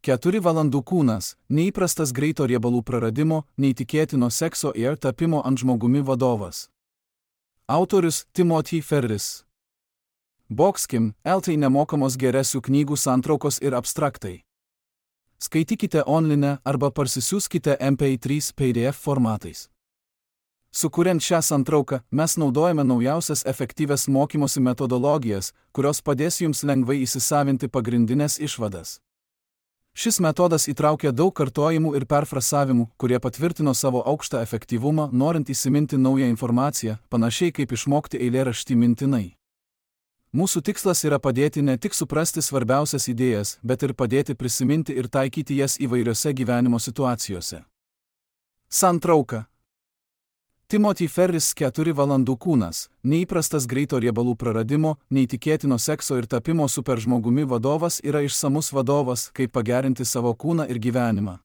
4 valandų kūnas, neįprastas greito riebalų praradimo, neįtikėtino sekso ir tapimo ant žmogumi vadovas. Autorius Timothy Ferris. Boxkim, LT nemokamos geresių knygų santraukos ir abstraktai. Skaitykite online arba parsisiųskite MP3 PDF formatais. Sukuriant šią santrauką, mes naudojame naujausias efektyvias mokymosi metodologijas, kurios padės jums lengvai įsisavinti pagrindinės išvadas. Šis metodas įtraukia daug kartojimų ir perfrasavimų, kurie patvirtino savo aukštą efektyvumą, norint įsiminti naują informaciją, panašiai kaip išmokti eilėraštį mintinai. Mūsų tikslas yra padėti ne tik suprasti svarbiausias idėjas, bet ir padėti prisiminti ir taikyti jas įvairiose gyvenimo situacijose. Santrauka. Timothy Ferris 4 valandų kūnas, neįprastas greito riebalų praradimo, neįtikėtino sekso ir tapimo superžmogumi vadovas yra išsamus vadovas, kaip pagerinti savo kūną ir gyvenimą.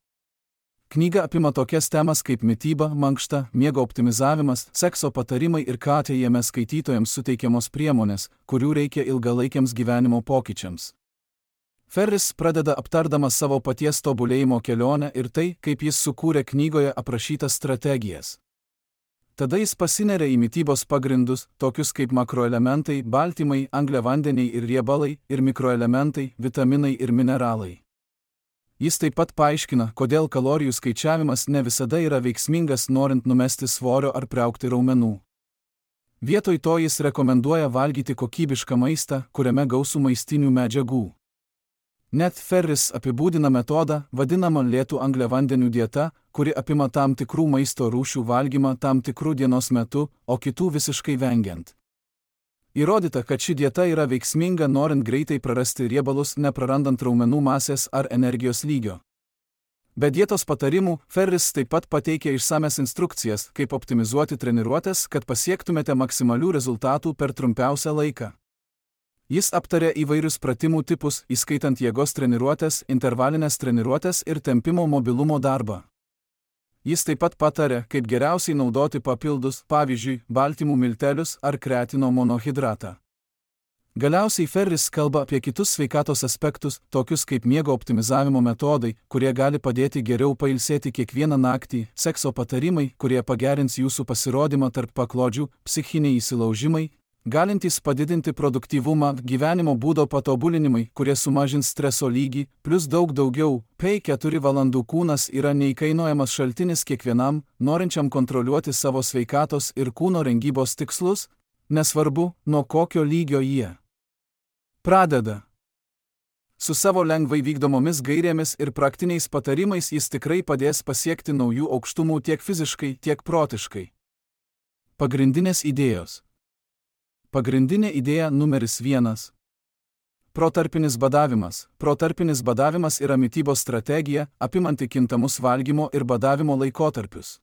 Knyga apima tokias temas kaip mityba, mankšta, miego optimizavimas, sekso patarimai ir jame skaitytojams suteikiamos priemonės, kurių reikia ilgalaikiams gyvenimo pokyčiams. Ferris pradeda aptardamas savo paties tobulėjimo kelionę ir tai, kaip jis sukūrė knygoje aprašytas strategijas. Tada jis pasineria į mitybos pagrindus, tokius kaip makroelementai, baltymai, angliavandeniai ir riebalai, ir mikroelementai, vitaminai ir mineralai. Jis taip pat paaiškina, kodėl kalorijų skaičiavimas ne visada yra veiksmingas norint numesti svorio ar priaugti raumenų. Vietoj to jis rekomenduoja valgyti kokybišką maistą, kuriame gausu maistinių medžiagų. Net Ferris apibūdina metodą, vadinamą lėtų angliavandenių dieta, kuri apima tam tikrų maisto rūšių valgymą tam tikrų dienos metu, o kitų visiškai vengiant. Įrodyta, kad ši dieta yra veiksminga norint greitai prarasti riebalus, neprarandant raumenų masės ar energijos lygio. Be dietos patarimų, Ferris taip pat pateikia išsames instrukcijas, kaip optimizuoti treniruotes, kad pasiektumėte maksimalių rezultatų per trumpiausią laiką. Jis aptarė įvairius pratimų tipus, įskaitant jėgos treniruotes, intervalinės treniruotes ir tempimo mobilumo darbą. Jis taip pat patarė, kaip geriausiai naudoti papildus, pavyzdžiui, baltymų miltelius ar kreatino monohidratą. Galiausiai Ferris kalba apie kitus sveikatos aspektus, tokius kaip miego optimizavimo metodai, kurie gali padėti geriau pailsėti kiekvieną naktį, sekso patarimai, kurie pagerins jūsų pasirodymą tarp paklodžių, psichiniai įsilaužimai, galintys padidinti produktyvumą, gyvenimo būdo patobulinimai, kurie sumažins streso lygį, plus daug daugiau. 4 valandų kūnas yra neįkainojamas šaltinis kiekvienam, norinčiam kontroliuoti savo sveikatos ir kūno rengybos tikslus, nesvarbu, nuo kokio lygio jie pradeda. Su savo lengvai vykdomomis gairėmis ir praktiniais patarimais jis tikrai padės pasiekti naujų aukštumų tiek fiziškai, tiek protiškai. Pagrindinės idėjos. Pagrindinė idėja numeris 1. Protarpinis badavimas. Protarpinis badavimas yra mitybos strategija, apimanti kintamus valgymo ir badavimo laikotarpius.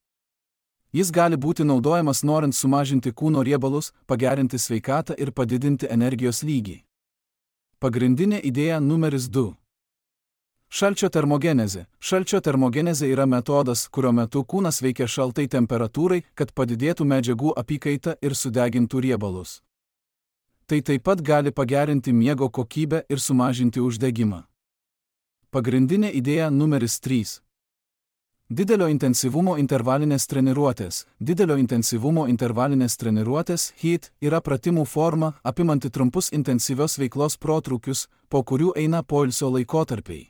Jis gali būti naudojamas norint sumažinti kūno riebalus, pagerinti sveikatą ir padidinti energijos lygį. Pagrindinė idėja numeris 2. Šalčio termogenezė. Šalčio termogenezė yra metodas, kurio metu kūnas veikia šaltai temperatūrai, kad padidėtų medžiagų apykaita ir sudegintų riebalus. Tai taip pat gali pagerinti miego kokybę ir sumažinti uždegimą. Pagrindinė idėja numeris 3. Didelio intensyvumo intervalinės treniruotės. Didelio intensyvumo intervalinės treniruotės HIIT yra pratimų forma, apimanti trumpus intensyvios veiklos protrūkius, po kurių eina poilsio laikotarpiai.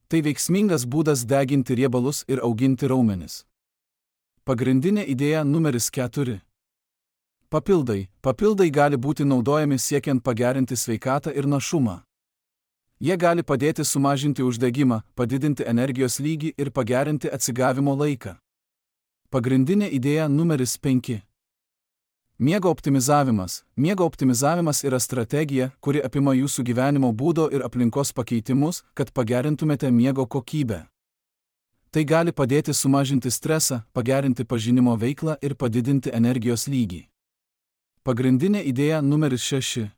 Tai veiksmingas būdas deginti riebalus ir auginti raumenis. Pagrindinė idėja numeris 4. Papildai. Papildai gali būti naudojami siekiant pagerinti sveikatą ir našumą. Jie gali padėti sumažinti uždegimą, padidinti energijos lygį ir pagerinti atsigavimo laiką. Pagrindinė idėja numeris 5. Miego optimizavimas. Miego optimizavimas yra strategija, kuri apima jūsų gyvenimo būdo ir aplinkos pakeitimus, kad pagerintumėte miego kokybę. Tai gali padėti sumažinti stresą, pagerinti pažinimo veiklą ir padidinti energijos lygį. Pagrindinė idėja numeris 6.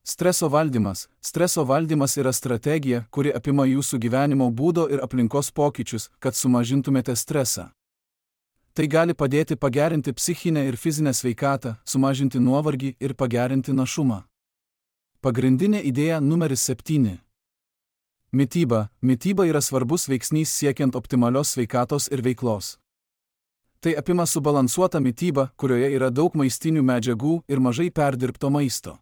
Streso valdymas. Streso valdymas yra strategija, kuri apima jūsų gyvenimo būdo ir aplinkos pokyčius, kad sumažintumėte stresą. Tai gali padėti pagerinti psichinę ir fizinę sveikatą, sumažinti nuovargį ir pagerinti našumą. Pagrindinė idėja numeris 7. Mityba. Mityba yra svarbus veiksnys siekiant optimalios sveikatos ir veiklos. Tai apima subalansuotą mitybą, kurioje yra daug maistinių medžiagų ir mažai perdirbto maisto.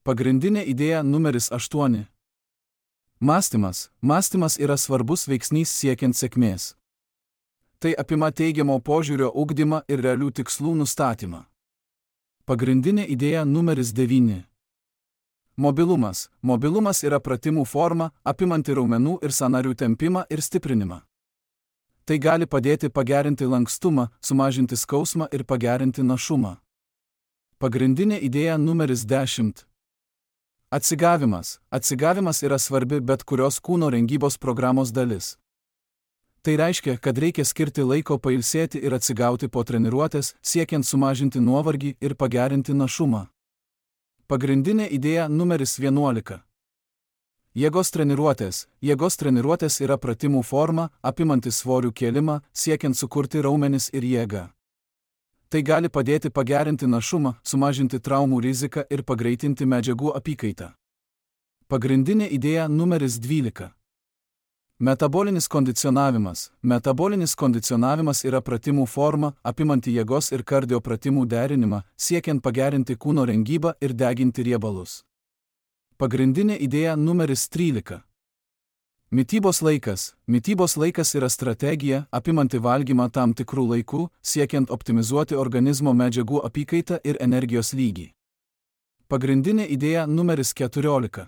Pagrindinė idėja numeris 8. Mąstymas. Mąstymas yra svarbus veiksnys siekiant sėkmės. Tai apima teigiamo požiūrio ugdymą ir realių tikslų nustatymą. Pagrindinė idėja numeris 9. Mobilumas. Mobilumas yra pratimų forma, apimanti raumenų ir sąnarių tempimą ir stiprinimą. Tai gali padėti pagerinti lankstumą, sumažinti skausmą ir pagerinti našumą. Pagrindinė idėja numeris 10. Atsigavimas. Atsigavimas yra svarbi bet kurios kūno rengybos programos dalis. Tai reiškia, kad reikia skirti laiko pailsėti ir atsigauti po treniruotės, siekiant sumažinti nuovargį ir pagerinti našumą. Pagrindinė idėja numeris 11. Jėgos treniruotės. Jėgos treniruotės yra pratimų forma, apimanti svorių kėlimą, siekiant sukurti raumenis ir jėgą. Tai gali padėti pagerinti našumą, sumažinti traumų riziką ir pagreitinti medžiagų apykaitą. Pagrindinė idėja numeris 12. Metabolinis kondicionavimas. Metabolinis kondicionavimas yra pratimų forma, apimanti jėgos ir kardio pratimų derinimą, siekiant pagerinti kūno rengybą ir deginti riebalus. Pagrindinė idėja numeris 13. Mitybos laikas. Mitybos laikas yra strategija, apimanti valgymą tam tikrų laikų, siekiant optimizuoti organizmo medžiagų apykaitą ir energijos lygį. Pagrindinė idėja numeris 14.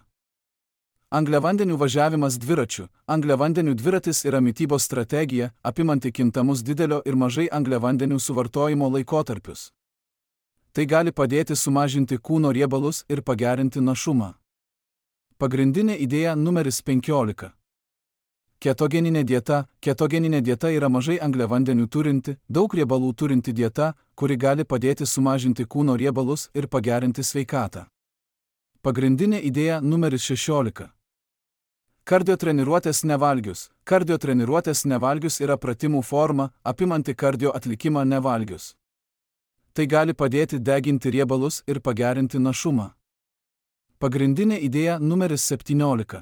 Angliavandenių važiavimas dviračiu. Angliavandenių dviratis yra mitybos strategija, apimanti kintamus didelio ir mažai angliavandenių suvartojimo laikotarpius. Tai gali padėti sumažinti kūno riebalus ir pagerinti našumą. Pagrindinė idėja numeris 15. Ketogeninė dieta. Ketogeninė dieta yra mažai angliavandenių turinti, daug riebalų turinti dieta, kuri gali padėti sumažinti kūno riebalus ir pagerinti sveikatą. Pagrindinė idėja numeris 16. Kardio treniruotės nevalgius. Kardio treniruotės nevalgius yra pratimų forma, apimanti kardio atlikimą nevalgius. Tai gali padėti deginti riebalus ir pagerinti našumą. Pagrindinė idėja numeris 17.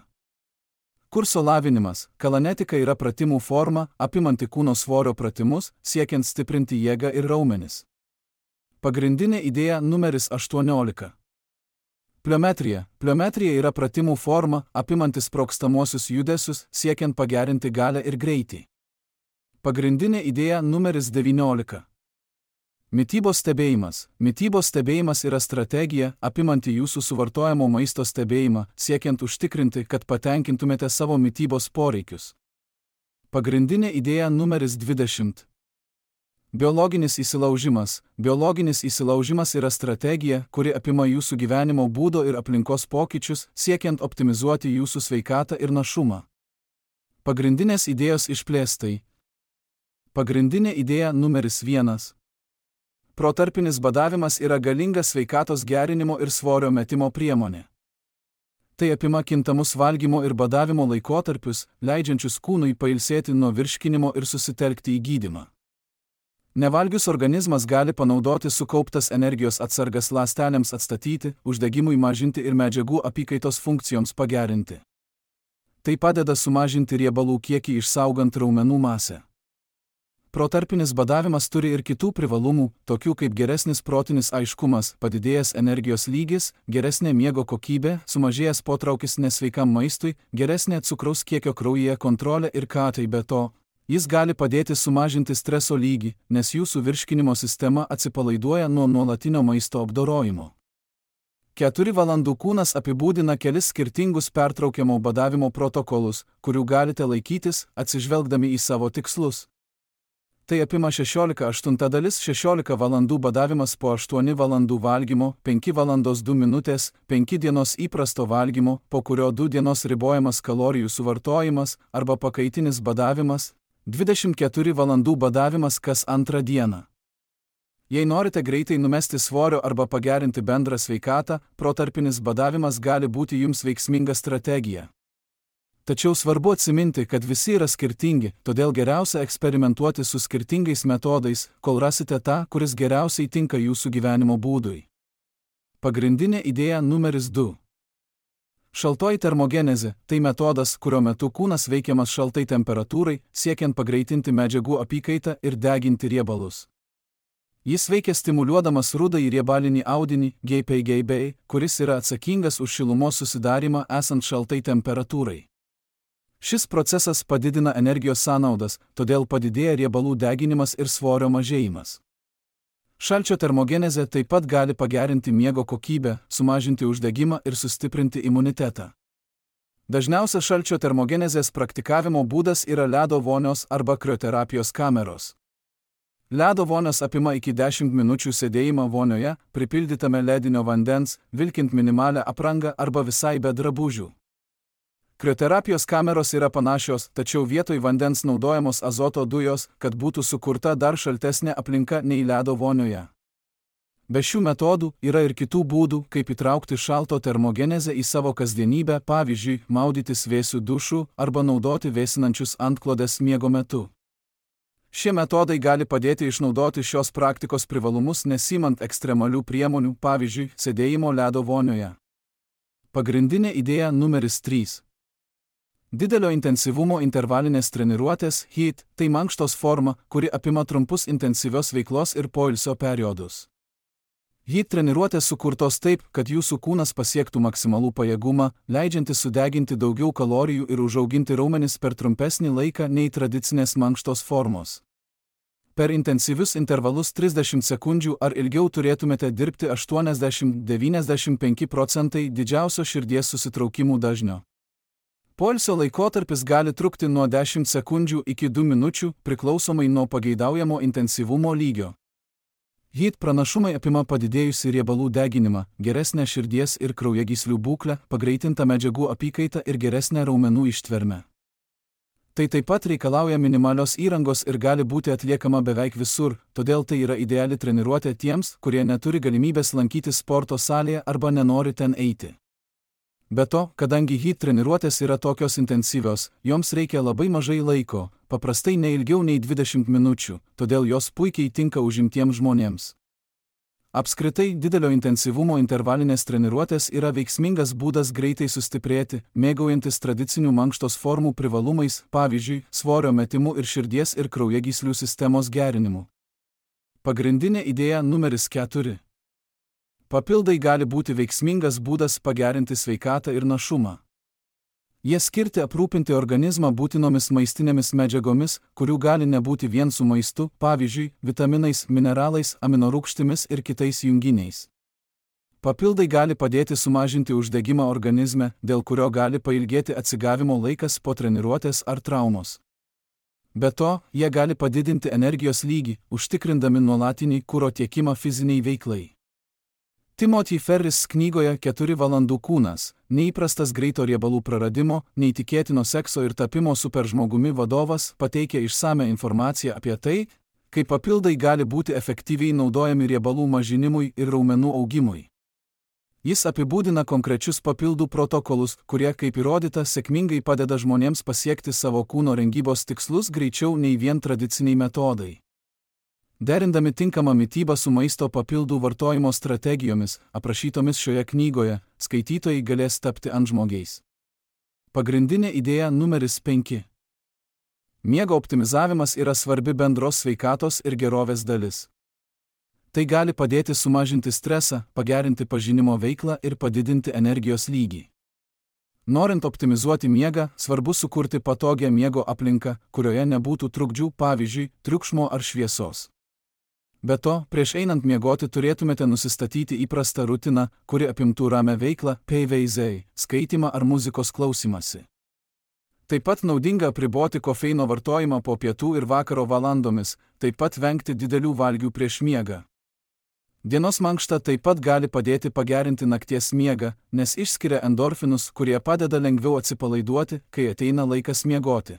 Kurso lavinimas. Kalanetika yra pratimų forma, apimanti kūno svorio pratimus, siekiant stiprinti jėgą ir raumenis. Pagrindinė idėja numeris 18. Pliometrija. Pliometrija yra pratimų forma, apimanti sprogstamosius judesius, siekiant pagerinti galią ir greitį. Pagrindinė idėja numeris 19. Mitybos stebėjimas. Mitybos stebėjimas yra strategija, apimanti jūsų suvartojamo maisto stebėjimą, siekiant užtikrinti, kad patenkintumėte savo mitybos poreikius. Pagrindinė idėja numeris 20. Biologinis įsilaužimas. Biologinis įsilaužimas yra strategija, kuri apima jūsų gyvenimo būdo ir aplinkos pokyčius, siekiant optimizuoti jūsų sveikatą ir našumą. Pagrindinės idėjos išplėstai. Pagrindinė idėja numeris 1. Protarpinis badavimas yra galinga sveikatos gerinimo ir svorio metimo priemonė. Tai apima kintamus valgymo ir badavimo laikotarpius, leidžiančius kūnui pailsėti nuo virškinimo ir susitelkti į gydymą. Nevalgius organizmas gali panaudoti sukauptas energijos atsargas ląstelėms atstatyti, uždegimui mažinti ir medžiagų apykaitos funkcijoms pagerinti. Tai padeda sumažinti riebalų kiekį išsaugant raumenų masę. Protarpinis badavimas turi ir kitų privalumų, tokių kaip geresnis protinis aiškumas, padidėjęs energijos lygis, geresnė miego kokybė, sumažėjęs potraukis nesveikam maistui, geresnė cukraus kiekio kraujyje kontrolė ir tai be to. Jis gali padėti sumažinti streso lygį, nes jūsų virškinimo sistema atsipalaiduoja nuo nuolatinio maisto apdorojimo. 4 valandų kūnas apibūdina kelis skirtingus pertraukiamo badavimo protokolus, kurių galite laikytis, atsižvelgdami į savo tikslus. Tai apima 16:8 dalis 16 valandų badavimas po 8 valandų valgymo, 5 valandos 2 minutės, 5 dienos įprasto valgymo, po kurio 2 dienos ribojamas kalorijų suvartojimas arba pakaitinis badavimas, 24 valandų badavimas kas antrą dieną. Jei norite greitai numesti svorio arba pagerinti bendrą sveikatą, protarpinis badavimas gali būti jums veiksminga strategija. Tačiau svarbu atsiminti, kad visi yra skirtingi, todėl geriausia eksperimentuoti su skirtingais metodais, kol rasite tą, kuris geriausiai tinka jūsų gyvenimo būdui. Pagrindinė idėja numeris 2. Šaltoji termogenezė – tai metodas, kurio metu kūnas veikiamas šaltai temperatūrai, siekiant pagreitinti medžiagų apykaitą ir deginti riebalus. Jis veikia stimuliuodamas rudąjį riebalinį audinį GPGB, kuris yra atsakingas už šilumos susidarimą esant šaltai temperatūrai. Šis procesas padidina energijos sąnaudas, todėl padidėja riebalų deginimas ir svorio mažėjimas. Šalčio termogenezė taip pat gali pagerinti miego kokybę, sumažinti uždegimą ir sustiprinti imunitetą. Dažniausias šalčio termogenezės praktikavimo būdas yra ledo vonios arba krioterapijos kameros. Ledo vonios apima iki 10 minučių sėdėjimą vonioje, pripildytame ledinio vandens, vilkint minimalią aprangą arba visai be drabužių. Krioterapijos kameros yra panašios, tačiau vietoj vandens naudojamos azoto dujos, kad būtų sukurta dar šaltesnė aplinka nei ledo vonioje. Be šių metodų yra ir kitų būdų, kaip įtraukti šalto termogenezę į savo kasdienybę, pavyzdžiui, maudytis vėsių dušų arba naudoti vėsinančius antklodes miego metu. Šie metodai gali padėti išnaudoti šios praktikos privalumus nesimant ekstremalių priemonių, pavyzdžiui, sėdėjimo ledo vonioje. Pagrindinė idėja numeris 3. Didelio intensyvumo intervalinės treniruotės HIIT – tai mankštos forma, kuri apima trumpus intensyvios veiklos ir poilsio periodus. HIIT treniruotės sukurtos taip, kad jūsų kūnas pasiektų maksimalų pajėgumą, leidžiantį sudeginti daugiau kalorijų ir užauginti raumenis per trumpesnį laiką nei tradicinės mankštos formos. Per intensyvius intervalus 30 sekundžių ar ilgiau turėtumėte dirbti 80–95% didžiausio širdies susitraukimų dažnio. Poilsio laikotarpis gali trukti nuo 10 sekundžių iki 2 minučių, priklausomai nuo pageidaujamo intensyvumo lygio. HIIT pranašumai apima padidėjusį riebalų deginimą, geresnę širdies ir kraujagyslių būklę, pagreitintą medžiagų apykaitą ir geresnę raumenų ištvermę. Tai taip pat reikalauja minimalios įrangos ir gali būti atliekama beveik visur, todėl tai yra ideali treniruotė tiems, kurie neturi galimybės lankyti sporto salėje arba nenori ten eiti. Be to, kadangi HIIT treniruotės yra tokios intensyvios, joms reikia labai mažai laiko, paprastai ne ilgiau nei 20 minučių, todėl jos puikiai tinka užimtiems žmonėms. Apskritai, didelio intensyvumo intervalinės treniruotės yra veiksmingas būdas greitai sustiprėti, mėgaujantis tradicinių mankštos formų privalumais, pavyzdžiui, svorio metimu ir širdies ir kraujagyslių sistemos gerinimu. Pagrindinė idėja numeris 4. Papildai gali būti veiksmingas būdas pagerinti sveikatą ir našumą. Jie skirti aprūpinti organizmą būtinomis maistinėmis medžiagomis, kurių gali nebūti vien su maistu, pavyzdžiui, vitaminais, mineralais, aminorūgštimis ir kitais junginiais. Papildai gali padėti sumažinti uždegimą organizme, dėl kurio gali pailgėti atsigavimo laikas po treniruotės ar traumos. Be to, jie gali padidinti energijos lygį, užtikrindami nuolatinį kuro tiekimą fiziniai veiklai. Timothy Ferris knygoje 4 valandų kūnas – neįprastas greito riebalų praradimo, neįtikėtino sekso ir tapimo superžmogumi vadovas pateikia išsamią informaciją apie tai, kaip papildai gali būti efektyviai naudojami riebalų mažinimui ir raumenų augimui. Jis apibūdina konkrečius papildų protokolus, kurie, kaip įrodyta, sėkmingai padeda žmonėms pasiekti savo kūno rengybos tikslus greičiau nei vien tradiciniai metodai. Derindami tinkamą mitybą su maisto papildų vartojimo strategijomis, aprašytomis šioje knygoje, skaitytojai galės tapti antžmogiais. Pagrindinė idėja numeris 5. Miego optimizavimas yra svarbi bendros sveikatos ir gerovės dalis. Tai gali padėti sumažinti stresą, pagerinti pažinimo veiklą ir padidinti energijos lygį. Norint optimizuoti miegą, svarbu sukurti patogią miego aplinką, kurioje nebūtų trukdžių, pavyzdžiui, triukšmo ar šviesos. Be to, prieš einant miegoti turėtumėte nusistatyti įprastą rutiną, kuri apimtų ramią veiklą, PVZ, skaitymą ar muzikos klausymąsi. Taip pat naudinga apriboti kofeino vartojimą po pietų ir vakaro valandomis, taip pat vengti didelių valgių prieš miegą. Dienos mankšta taip pat gali padėti pagerinti nakties miegą, nes išskiria endorfinus, kurie padeda lengviau atsipalaiduoti, kai ateina laikas miegoti.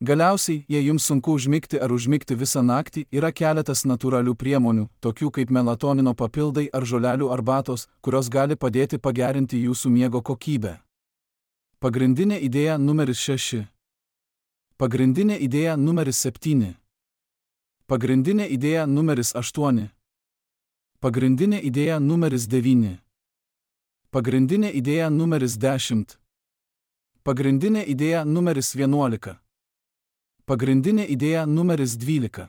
Galiausiai, jei jums sunku užmigti ar užmigti visą naktį, yra keletas natūralių priemonių, tokių kaip melatonino papildai ar žolelių arbatos, kurios gali padėti pagerinti jūsų miego kokybę. Pagrindinė idėja numeris 6. Pagrindinė idėja numeris 7. Pagrindinė idėja numeris 8. Pagrindinė idėja numeris 9. Pagrindinė idėja numeris 10. Pagrindinė idėja numeris 11. Pagrindinė idėja numeris 12.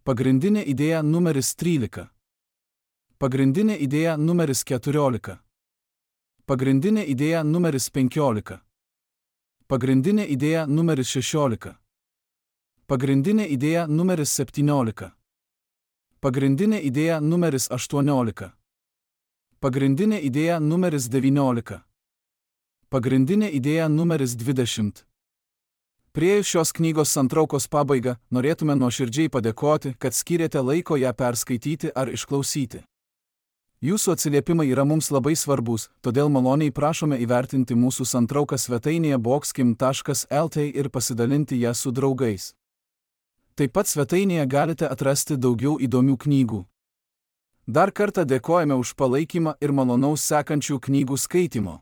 Pagrindinė idėja numeris 13. Pagrindinė idėja numeris 14. Pagrindinė idėja numeris 15. Pagrindinė idėja numeris 16. Pagrindinė idėja numeris 17. Pagrindinė idėja numeris 18. Pagrindinė idėja numeris 19. Pagrindinė idėja numeris 20. Priėjus šios knygos santraukos pabaigą, norėtume nuoširdžiai padėkoti, kad skyrėte laiko ją perskaityti ar išklausyti. Jūsų atsiliepimai yra mums labai svarbus, todėl maloniai prašome įvertinti mūsų santrauką svetainėje boxkim.lt ir pasidalinti ją su draugais. Taip pat svetainėje galite atrasti daugiau įdomių knygų. Dar kartą dėkojame už palaikymą ir malonaus sekančių knygų skaitymo.